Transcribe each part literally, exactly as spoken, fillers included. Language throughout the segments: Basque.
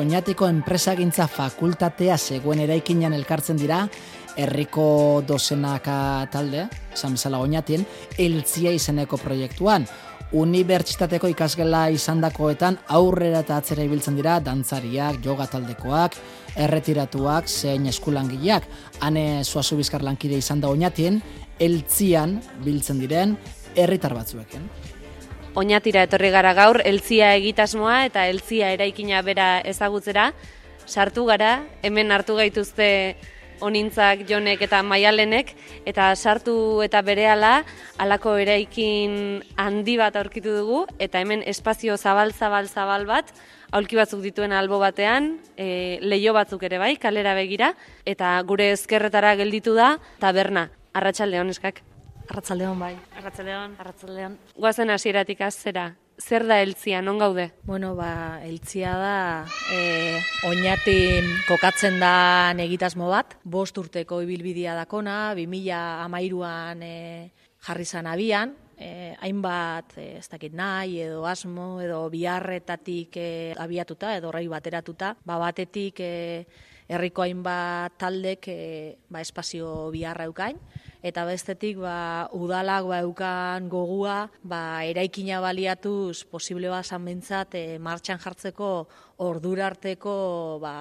Oñatiko enpresagintza fakultatea zegoen eraikinean elkartzen dira, herriko dozenaka talde, esan bezala Oñatien, Eltzia izeneko proiektuan. Unibertsitateko ikasgela izandakoetan aurrera eta atzera ibiltzen dira dantzariak, yoga taldekoak, erretiratuak, zein eskulangileak. Hane Zuazu Bizkar lankide izan da Oñatien, Eltzian biltzen diren herritar batzuekin. Oñatira etorri gara gaur, Eltzia egitasmoa eta Eltzia eraikina bera ezagutzera. Sartu gara, hemen hartu gaituzte Onintzak, Jonek eta Maialenek, eta sartu eta berehala halako eraikin handi bat aurkitu dugu, eta hemen espazio zabal-zabal-zabal bat, aulki batzuk dituen albo batean, e, leiho batzuk ere bai, kalera begira, eta gure ezkerretara gelditu da taberna. Arratsaldeon eskak. Arratsaldeon bai. Arratsaldeon. Arratsaldeon. Goazen hasieratik azera. Zer da Eltzia, non gaude? Bueno, ba, Eltzia da e, Oñatin kokatzen da egitasmo bat. Bost urteko ibilbidea dakona, bi mila hamairuan e, jarri zan abian. E, hainbat, e, ez dakit nahi, edo asmo, edo biharretatik e, abiatuta, edo horrei bateratuta. Ba, batetik e, herriko hainbat taldek e, ba, espazio biharra eukain. Eta bestetik ba, udalak ba, eukan gogua ba, eraikina baliatuz posible bazan bintzat e, martxan jartzeko ordura arteko ba,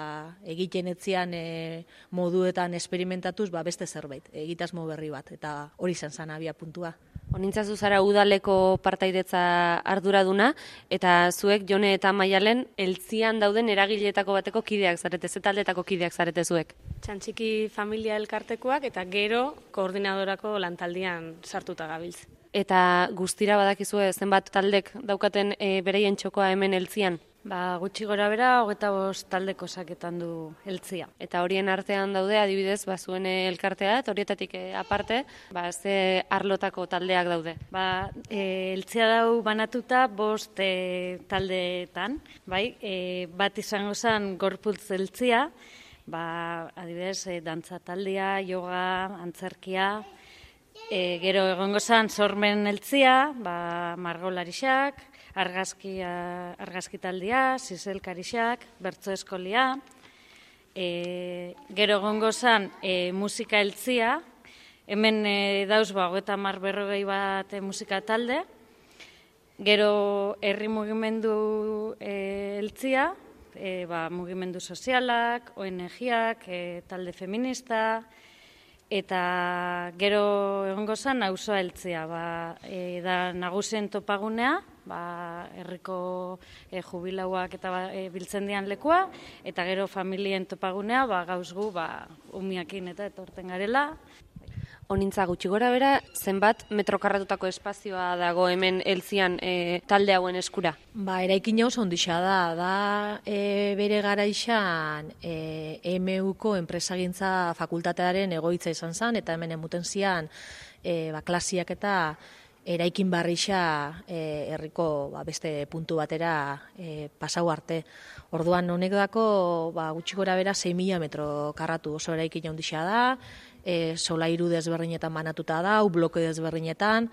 egiten etzian e, moduetan esperimentatuz ba, beste zerbait, egitasmo berri bat, eta hori zen zan abia puntua. Honintzazu zara udaleko partaidetza arduraduna, eta zuek Jone eta Maialen Eltzian dauden eragileetako bateko kideak zarete, ze taldetako kideak zarete zuek? Txantxiki familia elkartekoak eta gero koordinadorako lantaldian sartuta gabiltz. Eta guztira badakizue zenbat taldek daukaten e, bereien txokoa hemen Eltzian? Ba, gutxi gora bera, hogeita bost taldeko saketan du Eltzia. Eta horien artean daude, adibidez, ba, zuen elkartea, eta horietatik e, aparte, ba, ze arlotako taldeak daude? Ba, e, Eltzia dau banatuta bost e, taldeetan, bai? E, bat izango zen gorputz Eltzia, ba, adibidez, e, dantza taldea, yoga, antzerkia, e, gero egongo zen sormen Eltzia, ba, margolarixak, argazki, argazki taldea, zizelkarixak, bertso eskolia, e, gero egongo zen e, musika Eltzia, hemen e, dauz ba, hogeita hamar berrogei bat e, musika talde, gero herri mugimendu e, Eltzia, e, ba, mugimendu sozialak, O N G-ak, e, talde feminista, eta gero egongo zen auzoa Eltzia, ba, e, da nagusien topagunea, ba, herriko e, jubilauak eta ba, e, biltzen dian lekua, eta gero familien topagunea, ba, gauz gu, ba, umiakin eta etorten garela. Honintza gutxi gora bera, zenbat metrokarratutako espazioa dago hemen Eltzian e, talde hauen eskura? Ba, eraikin oso ondixa da, da e, bere garaixan e, E M Uko enpresagintza fakultatearen egoitza izan zen, eta hemen emuten zian e, ba, klasiak eta eraikin barrixa e, herriko ba, beste puntu batera e, pasau arte. Orduan honek dako ba, gutxi gora bera sei mila metro karratu oso eraikin ondixa da, e, solairu desberdinetan banatuta da, bloke desberdinetan,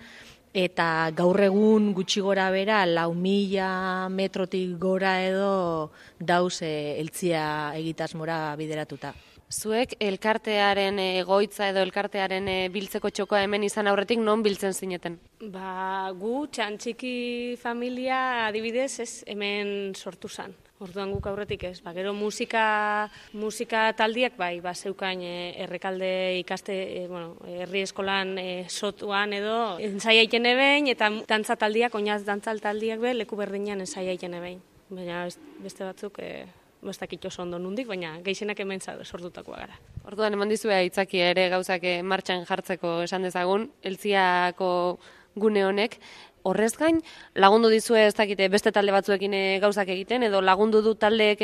eta gaur egun gutxi gora bera lau mila metrotik gora edo dauz e, Eltzia egitasmora bideratuta. Zuek elkartearen egoitza edo elkartearen biltzeko txokoa hemen izan aurretik non biltzen zineten? Ba, gu Txantxiki familia adibidez ez hemen sortu zan. Orduan guk aurretik ez, ba, gero musika, musika taldiak bai, ba, zeukain e, errekalde ikaste, e, bueno, herri eskolan e, sotuan edo ensai aiten ebein, eta dantza taldiak, oinaz dantzal taldiak be, leku berdinean ensai aiten ebein. Baina beste batzuk, e, bestak oso ondo nundik, baina gehienak hemen sortutakoa gara. Orduan eman dizue aitzaki ere gauzak martxan jartzeko esan dezagun, Eltziako gune honek. Horrez gain, lagundu dizue ez dakite beste talde batzuekin gauzak egiten, edo lagundu du taldeek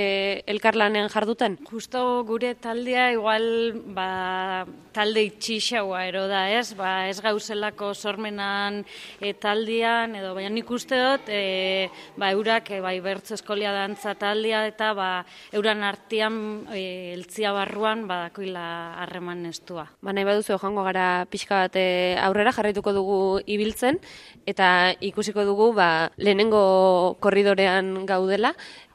elkarlanean jarduten? Justo gure taldea igual ba, talde itxixaua ero da, ez? Ba, ez gauzelako sormenan e, taldean, edo baina nik uste dut, e, ba, eurak e, bai, bertso eskolia dantza taldea, eta ba, euran artean e, Eltzia barruan badakoila harreman estua. Ba, nahi baduzu joango gara pixka bat aurrera jarraituko dugu ibiltzen, eta ikusiko dugu ba, lehenengo korridorean gaudela,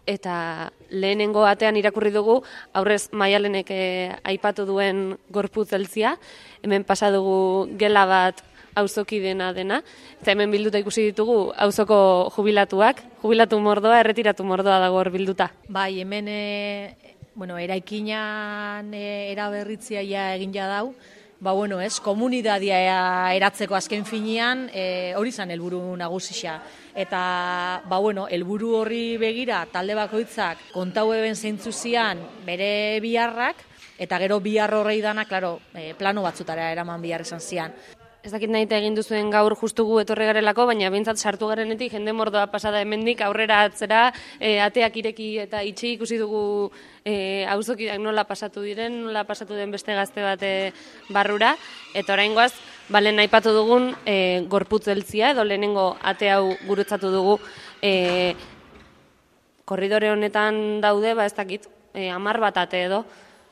eta lehenengo atean irakurri dugu, aurrez Maialenek eh, aipatu duen gorputz eltzia, hemen pasa dugu gela bat auzoki dena dena, eta hemen bilduta ikusi ditugu auzoko jubilatuak, jubilatu mordoa, erretiratu mordoa dago hor bilduta. Bai, hemen e, bueno, eraikinan e, eraberritzia ja egin ja dau, ba bueno, ez, komunidadia eratzeko azken finean, e, hori zan helburu nagusisa. Eta, ba bueno, helburu horri begira, talde bakoitzak kontau eben zeintzu zian bere biharrak, eta gero bihar horrei dana, klaro, e, plano batzutara eraman bihar esan zian. Ez dakit nahi egin duzuen gaur justu gu etorri garelako, baina bintzat sartu garenetik jende mordoa pasada hemendik aurrera atzera, e, ateak ireki eta itxi ikusi dugu e, auzokideak nola pasatu diren, nola pasatu den beste gazte bat e, barrura, eta oraingoaz, balen aipatu dugun e, gorputz eltzia, edo lehenengo ate hau gurutzatu dugu, e, korridore honetan daude, ba ez dakit, e, amar bat ate edo,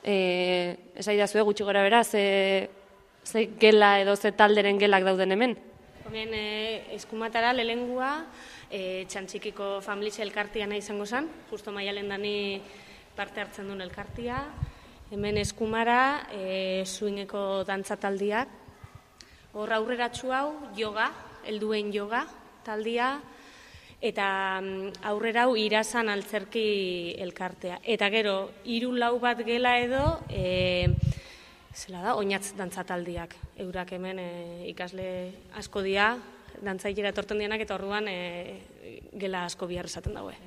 e, esaidazue gutxi gora bera, ze... ze gela edo ze talderen gelak dauden hemen? Hemen e, eskumatara lehengua e, txantxikiko familia elkartia nahi izango zen, justo Maialen dani parte hartzen duen elkartia. Hemen eskumara e, swingeko dantzataldiak. Hor aurreratsu hau yoga, helduen yoga taldia, eta aurrera hau irazan altzerki elkartea. Eta gero, hiru lau bat gela edo... E, Zela da, oinatz dantzataldiak. Eurak hemen e, ikasle asko dia, dantzailera etorten dianak, eta orduan e, gela asko bihar esaten daue.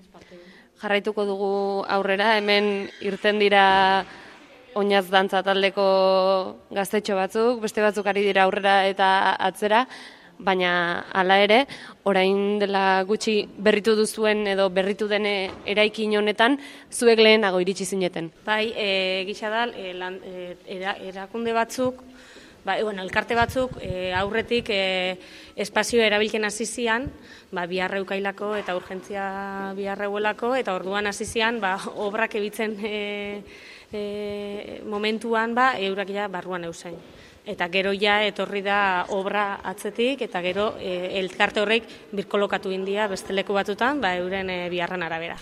Jarraituko dugu aurrera, hemen irten dira oinatz dantzataldeko gaztetxo batzuk, beste batzuk ari dira aurrera eta atzera, baina hala ere, orain dela gutxi berritu duzuen edo berritu dene eraikin honetan, zuek lehenago iritsi zineten. Bai, e, gisa da, e, lan, e, era, erakunde batzuk, ba, e, bueno, elkarte batzuk e, aurretik e, espazio erabilken hasi zian, ba, biharreukailako eta urgentzia biharreuelako, eta orduan hasi zian, ba, obrak ebitzen e, e, momentuan, ba, eurak ja barruan eusain. Eta gero ja etorri da obra atzetik, eta gero e, elkarte horrek birkolokatu india beste leku batutan, ba, euren e, biharran arabera.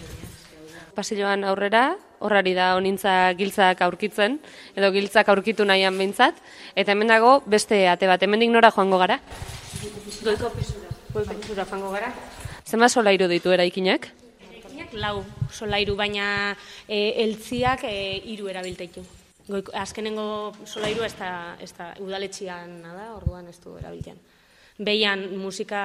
Pasilloan aurrera, horrari da honintza giltzak aurkitzen, edo giltzak aurkitu nahian behintzat, eta hemen dago beste ate bat, hemendik nora joango gara? Goiko pisura. Goiko pisura joango gara. Zenbat solairu ditu eraikinak? Eraikinak lau solairu, baina e, eltziak e, hiru erabilteitu. Goiko, azkenengo solairu ez da, ez da udaletxian da, orduan ez du erabiltzen. Behian musika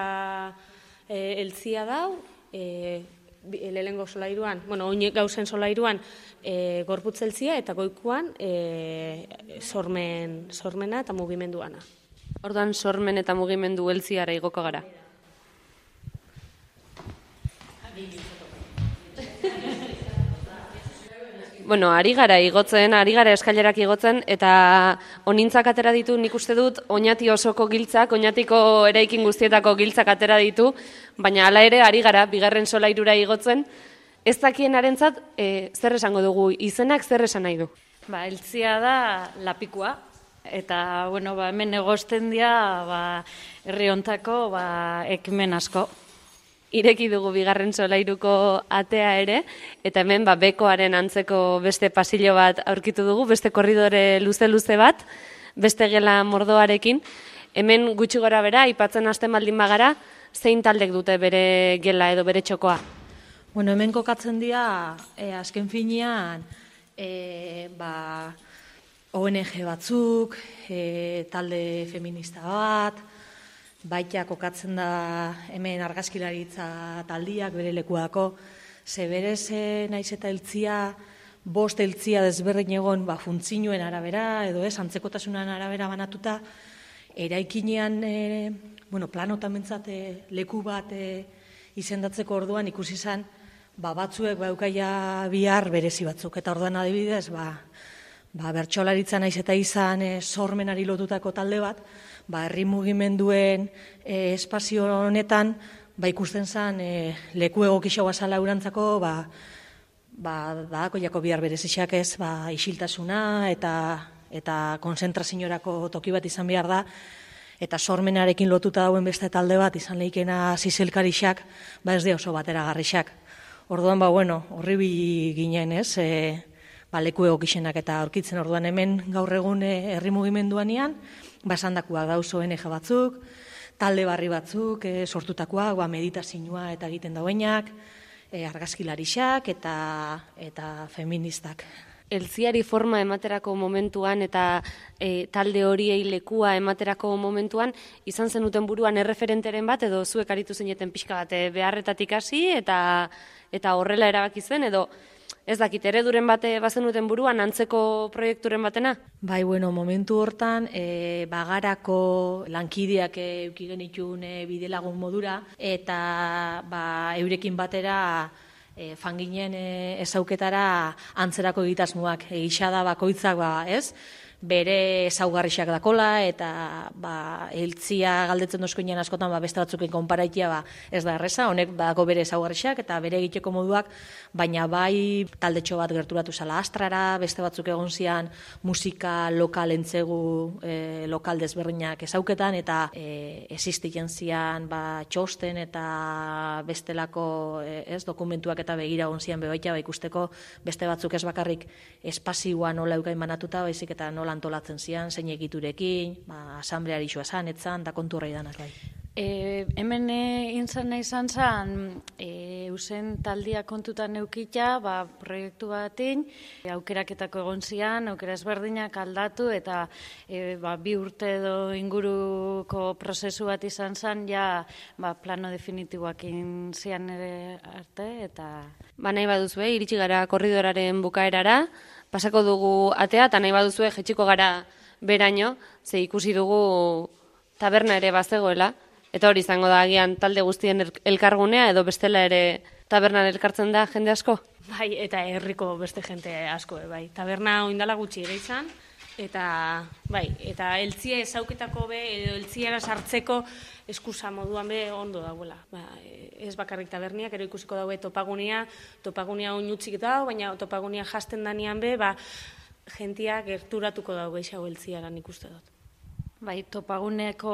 e, eltzia dau, e, lehenengo solairuan, bueno, oin gauzen solairuan e, gorputz eltzia eta goikuan e, sormen, sormena eta mugimenduana. Orduan sormen eta mugimendu eltziara igoko gara. Bueno, ari gara igotzen, ari gara eskailerak igotzen, eta honintzak atera ditu nik uste dut, oinati osoko giltzak, oinatiko eraikin guztietako giltzak atera ditu, baina hala ere ari gara, bigarren solairura igotzen, ez dakienarentzat e, zer esango dugu, izenak zer esan nahi du? Ba, eltzia da lapikua, eta bueno, ba, hemen egosten dira ba, herri hontako ba, ekimen asko. Ireki dugu bigarren solairuko atea ere, eta hemen ba, bekoaren antzeko beste pasillo bat aurkitu dugu, beste korridore luze-luze bat, beste gela mordoarekin. Hemen gutxi gora bera, aipatzen hasten baldin bagara, zein taldek dute bere gela edo bere txokoa? Bueno, hemen kokatzen dira, e, azken finean, e, ba, O N G batzuk, e, talde feminista bat, baita kokatzen da hemen argazkilaritza taldiak bere lekuako, ze berez naiz eta eltzia, bost eltzia desberdin egon ba, funtzioen arabera, edo ez, antzekotasunan arabera banatuta, eraikinean, e, bueno, planotan bentsat e, leku bat e, izendatzeko orduan ikusi zen, ba, batzuek baukaia bihar berezi batzuk, eta orduan adibidez, ba, ba, bertsolaritza naiz eta izan e, sormenari lotutako talde bat, ba, herri mugimenduen e, espazio honetan, ba, ikusten zen e, leku egokixo bazala urantzako, ba, ba, badako jako bihar berezixak ez, ba, isiltasuna eta eta konzentraziorako toki bat izan behar da, eta sormenarekin lotuta dauen beste talde bat izan lehikena zizelkarixak, ba ez de oso bateragarrixak. Orduan, ba, bueno, horri ginen, ez, e, ba, leku egokixenak eta aurkitzen orduan hemen gaur egun herri mugimenduanean, ba, esandakoak dauz O N G batzuk, talde barri batzuk, e, sortutakoak, ba, meditazioa eta egiten dauenak, e, argazkilarixak eta, eta feministak. Eltziari forma ematerako momentuan eta e, talde horiei lekua ematerako momentuan, izan zenuten buruan erreferenteren bat, edo zuek aritu zeneten pixka bat beharretatik hasi eta eta horrela erabaki zen, edo ez dakit, ereduren bate bazenuten buruan antzeko proiekturen batena? Bai, bueno, momentu hortan, e, bagarako lankideak euki genitun e, bidelagun modura, eta ba, eurekin batera e, fanginen e, ezauketara antzerako egitasmoak, egisa da bakoitzak, ba, ez? Bere ezaugarrixak dakola, eta ba, eltzia galdetzen dozkoinean askotan ba, beste batzuken konparaitia ba, ez da erreza, honek dago bere ezaugarrixak eta bere egiteko moduak, baina bai taldetxo bat gerturatu zala Astrara, beste batzuk egon zian musika lokal entzegu e, lokal desberdinak ezauketan, eta e, existitzen zian ba, txosten eta bestelako e, ez, dokumentuak eta begira egon zian bebaita ba, ikusteko beste batzuk ez bakarrik espazioa nola eukain banatuta, baizik eta nola antolatzen zian, zein egiturekin, ba, asambleari xua zan, etzan, da kontu horrei danak bai. E, hemen intzan izan zen, e, eusen taldia kontutan eukita, ba, proiektu batein, e, aukeraketako egon zian, aukera ezberdinak aldatu, eta e, ba, bi urte edo inguruko prozesu bat izan zen, ja ba, plano definitiboak zian ere arte, eta... Ba, nahi baduzue, iritsi gara korridoraren bukaerara, pasako dugu atea, eta nahi baduzue jetxiko gara beraino, ze ikusi dugu taberna ere bazegoela, eta hori izango da agian talde guztien elkargunea, edo bestela ere tabernan elkartzen da jende asko? Bai, eta herriko beste jente asko, bai. Taberna oindala gutxi ere izan, eta bai, eta eltzia ezauketako be, edo eltziara sartzeko eskusa moduan be ondo dagoela. Ba, ez bakarrik taberniak, ero ikusiko daue topagunia, topagunia oinutzik dago, baina topagunia jasten danean be, ba, jentia gerturatuko dago eixago eltziaran ikuste dut. Bai, topaguneko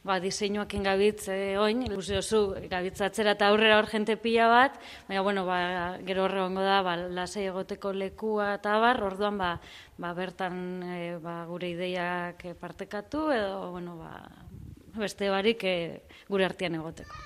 ba, diseinuak engabitz eh, oin, ikusi oso gabitzatzera eta aurrera hor jente pila bat, baina bueno, ba, gero horre gongo da, ba, lasai egoteko lekua eta bar, orduan ba, ba, bertan eh, ba, gure ideiak partekatu, edo bueno, ba, beste barik eh, gure artean egoteko.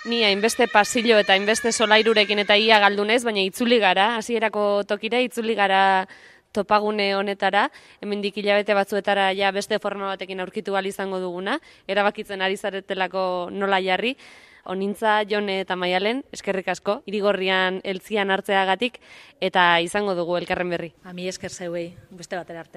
Ni hainbeste pasillo eta hainbeste solairurekin eta ia galdunez, baina itzuli gara, hasierako tokira itzuli gara topagune honetara, hemendik hilabete batzuetara ja beste forma batekin aurkitu ahal izango duguna, erabakitzen ari zaretelako nola jarri. Onintza, Jone eta Maialen, eskerrik asko, Irigorrian eltzian hartzeagatik, eta izango dugu elkarren berri. A mi esker zeuei, beste batera arte.